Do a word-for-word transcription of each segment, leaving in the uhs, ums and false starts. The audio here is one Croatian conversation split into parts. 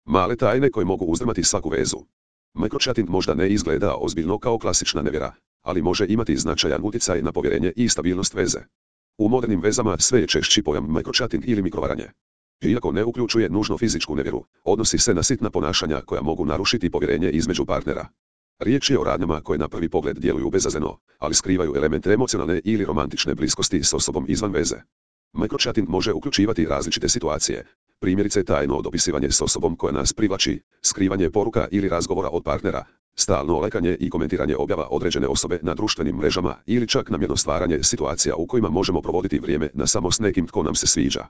Male tajne koje mogu uzdrmati svaku vezu. Microchatting možda ne izgleda ozbiljno kao klasična nevjera, ali može imati značajan utjecaj na povjerenje i stabilnost veze. U modernim vezama sve je češći pojam microchatting ili mikrovaranje. Iako ne uključuje nužno fizičku nevjeru, odnosi se na sitna ponašanja koja mogu narušiti povjerenje između partnera. Riječ je o radnjama koje na prvi pogled djeluju bezazleno, ali skrivaju elemente emocionalne ili romantične bliskosti s osobom izvan veze. Microchatting može uključivati različite situacije, primjerice tajno dopisivanje s osobom koja nas privlači, skrivanje poruka ili razgovora od partnera, stalno lekanje i komentiranje objava određene osobe na društvenim mrežama ili čak namjerno stvaranje situacija u kojima možemo provoditi vrijeme na samo s nekim tko nam se sviđa.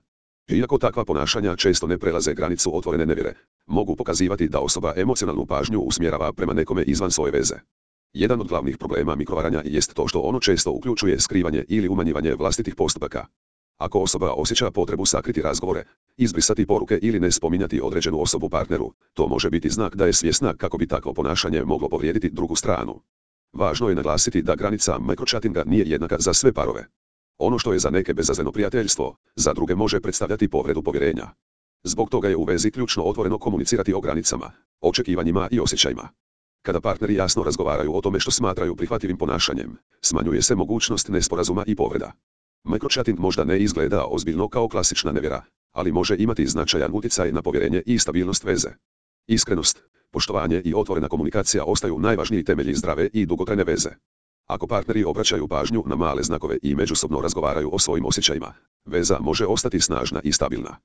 Iako takva ponašanja često ne prelaze granicu otvorene nevjere, mogu pokazivati da osoba emocionalnu pažnju usmjerava prema nekome izvan svoje veze. Jedan od glavnih problema mikrovaranja jest to što ono često uključuje skrivanje ili umanjivanje vlastitih postupaka. Ako osoba osjeća potrebu sakriti razgovore, izbrisati poruke ili ne spominjati određenu osobu partneru, to može biti znak da je svjesna kako bi takvo ponašanje moglo povrijediti drugu stranu. Važno je naglasiti da granica microchattinga nije jednaka za sve parove. Ono što je za neke bezazleno prijateljstvo, za druge može predstavljati povredu povjerenja. Zbog toga je u vezi ključno otvoreno komunicirati o granicama, očekivanjima i osjećajima. Kada partneri jasno razgovaraju o tome što smatraju prihvatljivim ponašanjem, smanjuje se mogućnost nesporazuma i povreda. Microchatting možda ne izgleda ozbiljno kao klasična nevjera, ali može imati značajan utjecaj na povjerenje i stabilnost veze. Iskrenost, poštovanje i otvorena komunikacija ostaju najvažniji temelji zdrave i dugotrajne veze. Ako partneri obraćaju pažnju na male znakove i međusobno razgovaraju o svojim osjećajima, veza može ostati snažna i stabilna.